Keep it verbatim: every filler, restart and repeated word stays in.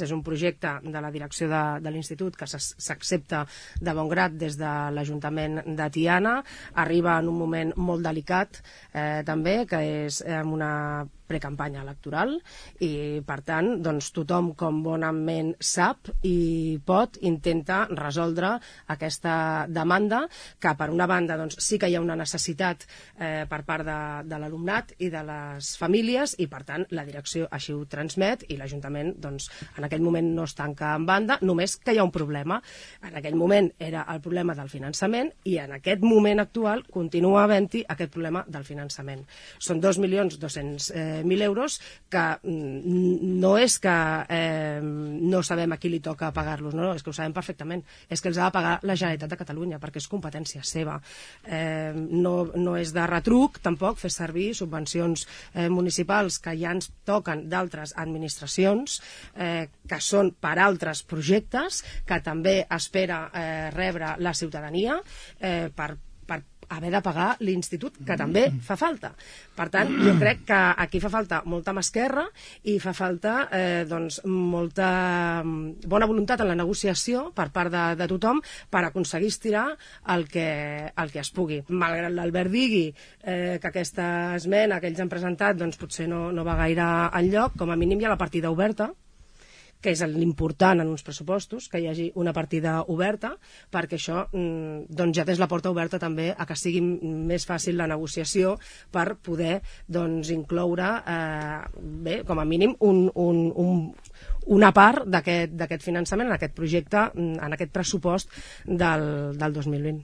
És un projecte de la direcció de, de l'Institut que s'accepta de bon grat des de l'Ajuntament de Tiana. Arriba en un moment molt delicat eh, també, que és en una precampanya electoral i, per tant, doncs, tothom com bonament sap i pot intenta resoldre aquesta demanda que, per una banda, doncs, sí que hi ha una necessitat eh, per part de, de l'alumnat i de les famílies i, per tant, la direcció així ho transmet i l'Ajuntament, doncs, en aquell moment no es tanca en banda, només que hi ha un problema. En aquell moment era el problema del finançament i en aquest moment actual continua havent-hi aquest problema del finançament. Són dos milions dos-cents mil euros que no és que eh, no sabem a qui li toca pagar-los, no, és que ho sabem perfectament, és que els ha de pagar la Generalitat de Catalunya perquè és competència seva. Eh, no, no és de retruc tampoc fer servir subvencions eh, municipals que ja ens toquen d'altres administracions eh, que són per altres projectes que també espera eh, rebre la ciutadania eh, per per haver de pagar l'Institut, que també fa falta. Per tant, jo crec que aquí fa falta molta mà esquerra i fa falta eh, doncs, molta bona voluntat en la negociació per part de, de tothom per aconseguir estirar el que, el que es pugui. Malgrat l'Albert digui eh, que aquesta esmena que ells han presentat doncs, potser no, no va gaire enlloc, com a mínim hi ha la partida oberta, que és l'important en uns pressupostos, que hi hagi una partida oberta, perquè això doncs, ja tens la porta oberta també a que sigui més fàcil la negociació per poder doncs, incloure, eh, bé, com a mínim, un, un, un, una part d'aquest finançament en aquest projecte, en aquest pressupost del, del dos mil vint.